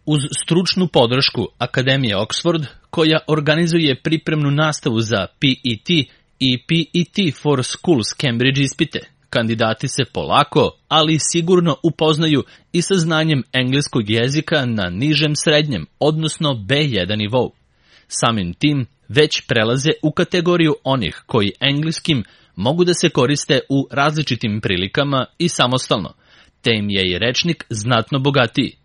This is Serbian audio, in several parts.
Uz stručnu podršku Akademije Oxford, koja organizuje pripremnu nastavu za PET i PET for Schools Cambridge ispite, kandidati se polako, ali sigurno upoznaju i sa znanjem engleskog jezika na nižem srednjem, odnosno B1 nivou. Samim tim već prelaze u kategoriju onih koji engleskim mogu da se koriste u različitim prilikama i samostalno, te im je i rečnik znatno bogatiji.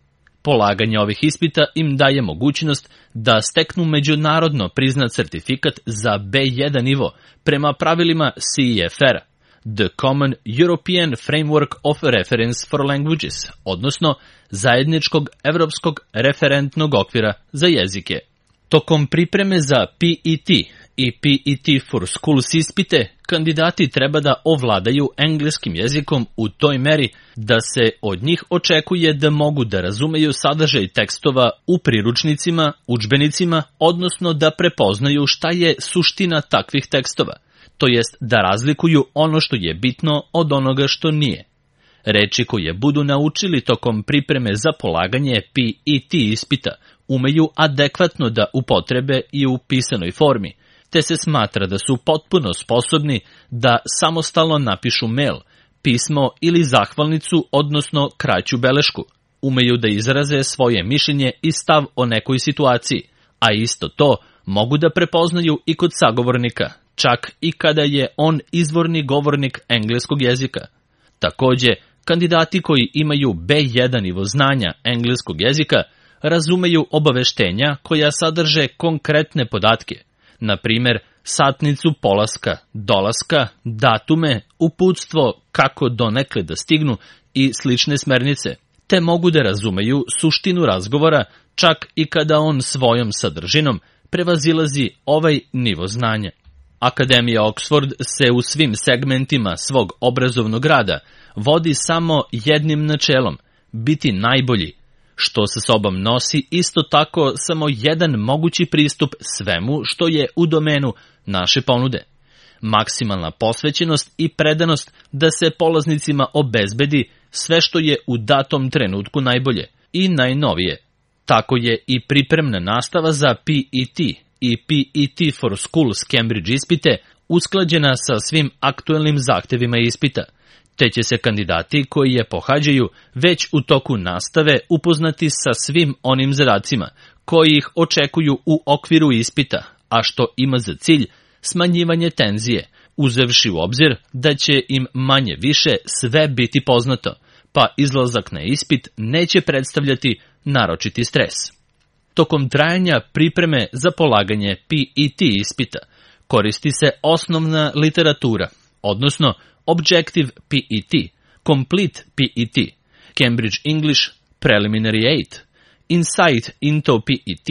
Polaganje ovih ispita im daje mogućnost da steknu međunarodno priznat sertifikat za B1 nivo prema pravilima CEFR-a, The Common European Framework of Reference for Languages, odnosno zajedničkog evropskog referentnog okvira za jezike. Tokom pripreme za PET i PET for Schools ispite, kandidati treba da ovladaju engleskim jezikom u toj meri da se od njih očekuje da mogu da razumeju sadržaj tekstova u priručnicima, udžbenicima, odnosno da prepoznaju šta je suština takvih tekstova, to jest da razlikuju ono što je bitno od onoga što nije. Reči koje budu naučili tokom pripreme za polaganje PET ispita umeju adekvatno da upotrebe i u pisanoj formi, te se smatra da su potpuno sposobni da samostalno napišu mail, pismo ili zahvalnicu, odnosno kraću belešku. Umeju da izraze svoje mišljenje i stav o nekoj situaciji, a isto to mogu da prepoznaju i kod sagovornika, čak i kada je on izvorni govornik engleskog jezika. Takođe, kandidati koji imaju B1 nivo znanja engleskog jezika razumeju obaveštenja koja sadrže konkretne podatke, na primer satnicu polaska, dolaska, datume, uputstvo kako donekle da stignu i slične smernice, te mogu da razumeju suštinu razgovora čak i kada on svojom sadržinom prevazilazi ovaj nivo znanja. Akademija Oxford se u svim segmentima svog obrazovnog rada vodi samo jednim načelom – biti najbolji, što sa sobom nosi isto tako samo jedan mogući pristup svemu što je u domenu naše ponude. Maksimalna posvećenost i predanost da se polaznicima obezbedi sve što je u datom trenutku najbolje i najnovije. Tako je i pripremna nastava za PET i PET for Schools Cambridge ispite usklađena sa svim aktuelnim zahtevima ispita, te će se kandidati koji je pohađaju već u toku nastave upoznati sa svim onim zadacima koji ih očekuju u okviru ispita, a što ima za cilj smanjivanje tenzije, uzevši u obzir da će im manje više sve biti poznato, pa izlazak na ispit neće predstavljati naročiti stres. Tokom trajanja pripreme za polaganje PET ispita koristi se osnovna literatura, odnosno Objective PET, Complete PET, Cambridge English Preliminary 8, Insight into PET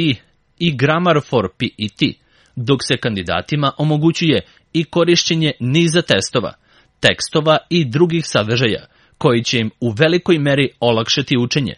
i Grammar for PET, dok se kandidatima omogućuje i korišćenje niza testova, tekstova i drugih sadržaja, koji će im u velikoj meri olakšati učenje.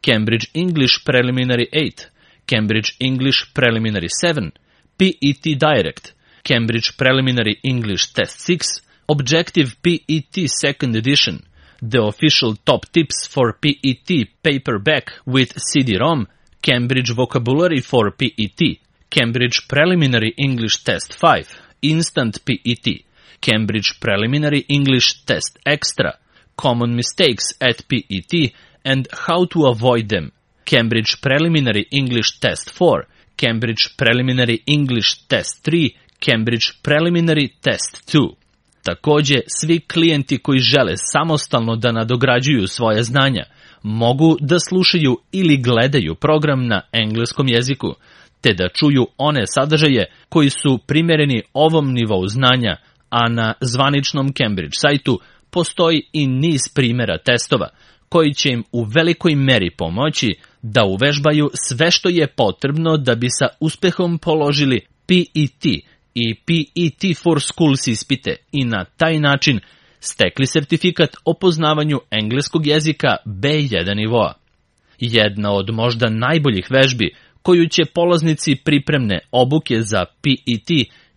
Cambridge English Preliminary 8, Cambridge English Preliminary 7, PET Direct, Cambridge Preliminary English Test 6, Objective PET Second Edition, The Official Top Tips for PET Paperback with CD-ROM, Cambridge Vocabulary for PET, Cambridge Preliminary English Test 5, Instant PET, Cambridge Preliminary English Test Extra, Common Mistakes at PET and How to Avoid Them, Cambridge Preliminary English Test 4, Cambridge Preliminary English Test 3, Cambridge Preliminary Test 2. Takođe, svi klijenti koji žele samostalno da nadograđuju svoje znanja mogu da slušaju ili gledaju program na engleskom jeziku, te da čuju one sadržaje koji su primereni ovom nivou znanja, a na zvaničnom Cambridge sajtu postoji i niz primera testova koji će im u velikoj meri pomoći da uvežbaju sve što je potrebno da bi sa uspehom položili PET i PET for Schools ispite i na taj način stekli sertifikat o poznavanju engleskog jezika B1 nivoa. Jedna od možda najboljih vežbi koju će polaznici pripremne obuke za PET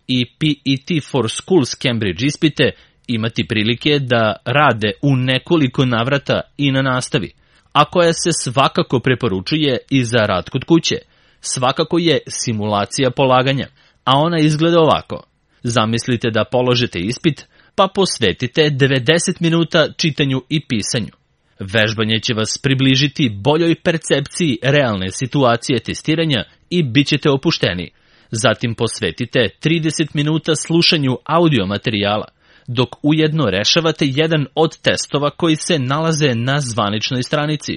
i PET for Schools Cambridge ispite imati prilike da rade u nekoliko navrata i na nastavi, a koja se svakako preporučuje i za rad kod kuće. Svakako je simulacija polaganja, a ona izgleda ovako. Zamislite da položite ispit, pa posvetite 90 minuta čitanju i pisanju. Vežbanje će vas približiti boljoj percepciji realne situacije testiranja i bit ćete opušteni. Zatim posvetite 30 minuta slušanju audio materijala, dok ujedno rešavate jedan od testova koji se nalaze na zvaničnoj stranici,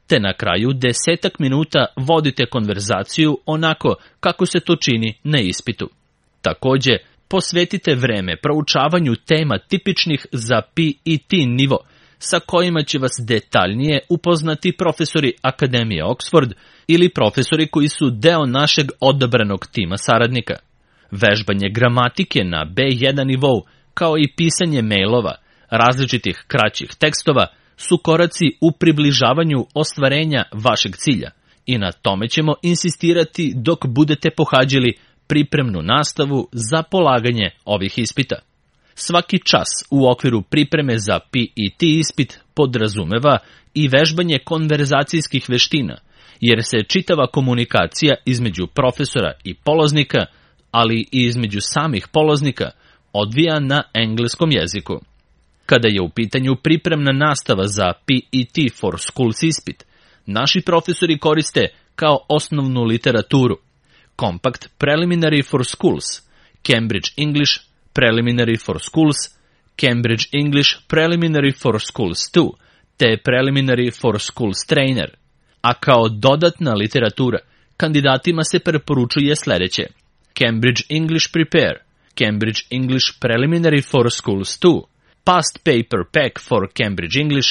te na kraju 10 minuta vodite konverzaciju onako kako se to čini na ispitu. Takođe, posvetite vreme proučavanju tema tipičnih za PET nivo, sa kojima će vas detaljnije upoznati profesori Akademije Oxford ili profesori koji su deo našeg odabranog tima saradnika. Vežbanje gramatike na B1 nivou, kao i pisanje mailova, različitih kraćih tekstova, su koraci u približavanju ostvarenja vašeg cilja i na tome ćemo insistirati dok budete pohađali pripremnu nastavu za polaganje ovih ispita. Svaki čas u okviru pripreme za PET ispit podrazumeva i vežbanje konverzacijskih veština, jer se čitava komunikacija između profesora i polaznika, ali i između samih polaznika, odvija na engleskom jeziku. Kada je u pitanju pripremna nastava za PET for Schools ispit, naši profesori koriste kao osnovnu literaturu Compact Preliminary for Schools, Cambridge English Preliminary for Schools, Cambridge English Preliminary for Schools 2, te Preliminary for Schools Trainer, a kao dodatna literatura kandidatima se preporučuje sledeće: Cambridge English Prepare, Cambridge English Preliminary for Schools 2, Past Paper Pack for Cambridge English,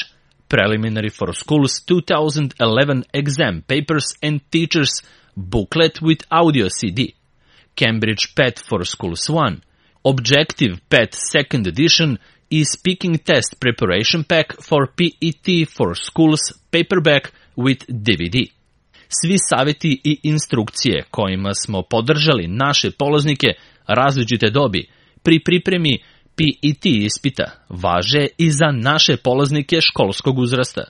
Preliminary for Schools 2011 Exam Papers and Teachers Booklet with Audio CD, Cambridge PET for Schools 1, Objective PET Second Edition i Speaking Test Preparation Pack for PET for Schools Paperback with DVD. Svi savjeti i instrukcije kojima smo podržali naše polaznike različite dobi pri pripremi PET ispita važe i za naše polaznike školskog uzrasta.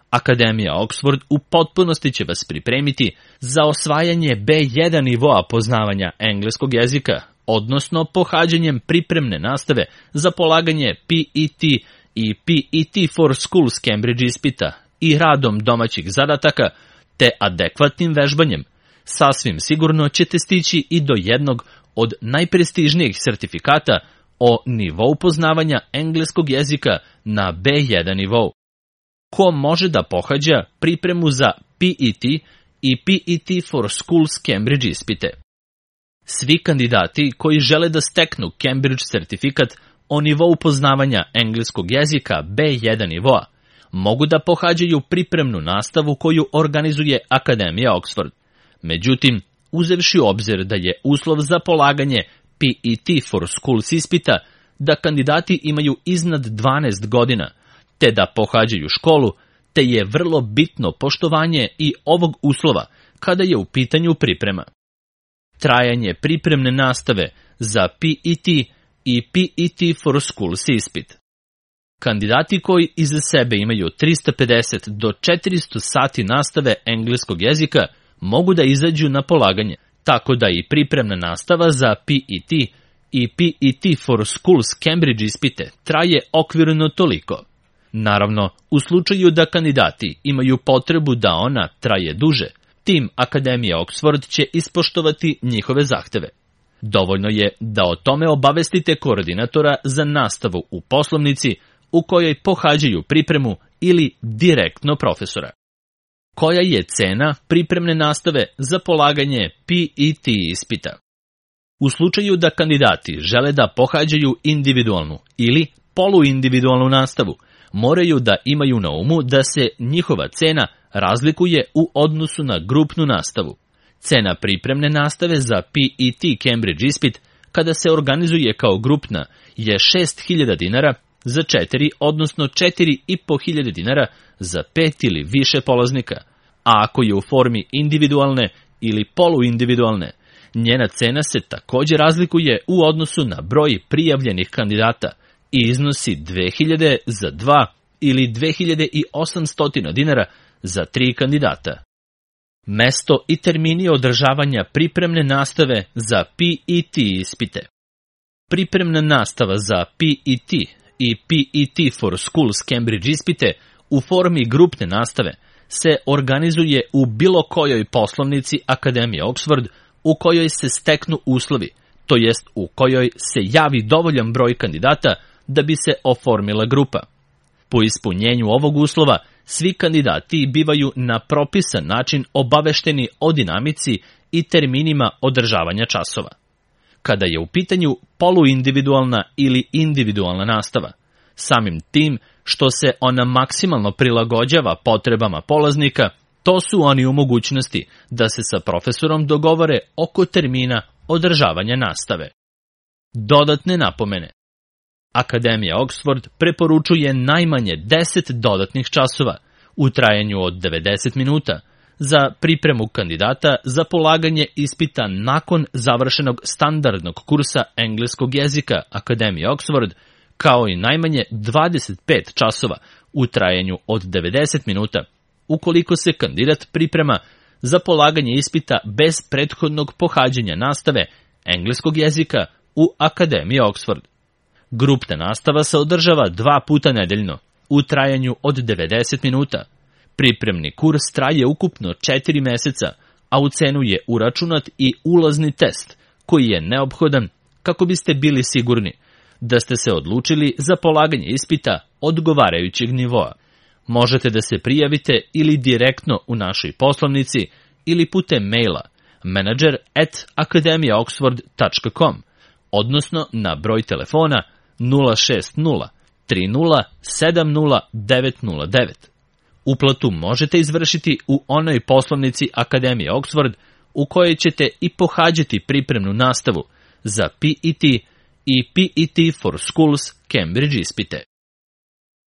Akademija Oxford u potpunosti će vas pripremiti za osvajanje B1 nivoa poznavanja engleskog jezika, odnosno pohađanjem pripremne nastave za polaganje PET i PET for Schools Cambridge ispita i radom domaćih zadataka, te adekvatnim vežbanjem. Sasvim sigurno ćete stići i do jednog od najprestižnijih sertifikata o nivou poznavanja engleskog jezika na B1 nivou. Ko može da pohađa pripremu za PET i PET for Schools Cambridge ispite? Svi kandidati koji žele da steknu Cambridge sertifikat o nivou poznavanja engleskog jezika B1 nivoa mogu da pohađaju pripremnu nastavu koju organizuje Akademija Oxford. Međutim, uzevši u obzir da je uslov za polaganje PET for Schools ispita da kandidati imaju iznad 12 godina, te da pohađaju školu, te je vrlo bitno poštovanje i ovog uslova kada je u pitanju priprema. Trajanje pripremne nastave za PET i PET for Schools ispit. Kandidati koji iza sebe imaju 350 do 400 sati nastave engleskog jezika mogu da izađu na polaganje, tako da i pripremna nastava za PET i PET for Schools Cambridge ispite traje okvirno toliko. Naravno, u slučaju da kandidati imaju potrebu da ona traje duže, tim Akademije Oxford će ispoštovati njihove zahteve. Dovoljno je da o tome obavestite koordinatora za nastavu u poslovnici u kojoj pohađaju pripremu ili direktno profesora. Koja je cena pripremne nastave za polaganje PET ispita? U slučaju da kandidati žele da pohađaju individualnu ili poluindividualnu nastavu, moraju da imaju na umu da se njihova cena razlikuje u odnosu na grupnu nastavu. Cena pripremne nastave za PET Cambridge ispit, kada se organizuje kao grupna, je 6.000 dinara za 4, odnosno 4.500 dinara za 5 ili više polaznika, a ako je u formi individualne ili poluindividualne, njena cena se također razlikuje u odnosu na broj prijavljenih kandidata i iznosi 2.000 za 2 ili 2.800 dinara za 3 kandidata. Mesto i termini održavanja pripremne nastave za PET ispite. Pripremna nastava za PET i PET for Schools Cambridge ispite u formi grupne nastave se organizuje u bilo kojoj poslovnici Akademije Oxford u kojoj se steknu uslovi, to jest u kojoj se javi dovoljan broj kandidata da bi se oformila grupa. Po ispunjenju ovog uslova, svi kandidati bivaju na propisan način obavešteni o dinamici i terminima održavanja časova. Kada je u pitanju poluindividualna ili individualna nastava, samim tim što se ona maksimalno prilagođava potrebama polaznika, to su oni u mogućnosti da se sa profesorom dogovore oko termina održavanja nastave. Dodatne napomene. Akademija Oxford preporučuje najmanje 10 dodatnih časova u trajanju od 90 minuta za pripremu kandidata za polaganje ispita nakon završenog standardnog kursa engleskog jezika Akademije Oxford, kao i najmanje 25 časova u trajanju od 90 minuta ukoliko se kandidat priprema za polaganje ispita bez prethodnog pohađanja nastave engleskog jezika u Akademiji Oxford. Grupna nastava se održava 2 puta nedeljno u trajanju od 90 minuta. Pripremni kurs traje ukupno 4 meseca, a u cenu je uračunat i ulazni test koji je neophodan kako biste bili sigurni da ste se odlučili za polaganje ispita odgovarajućeg nivoa. Možete da se prijavite ili direktno u našoj poslovnici ili putem maila manager@akademijaoxford.com, odnosno na broj telefona 060 30 70 909. Uplatu možete izvršiti u onoj poslovnici Akademije Oxford u kojoj ćete i pohađati pripremnu nastavu za PET i PET for Schools Cambridge ispite.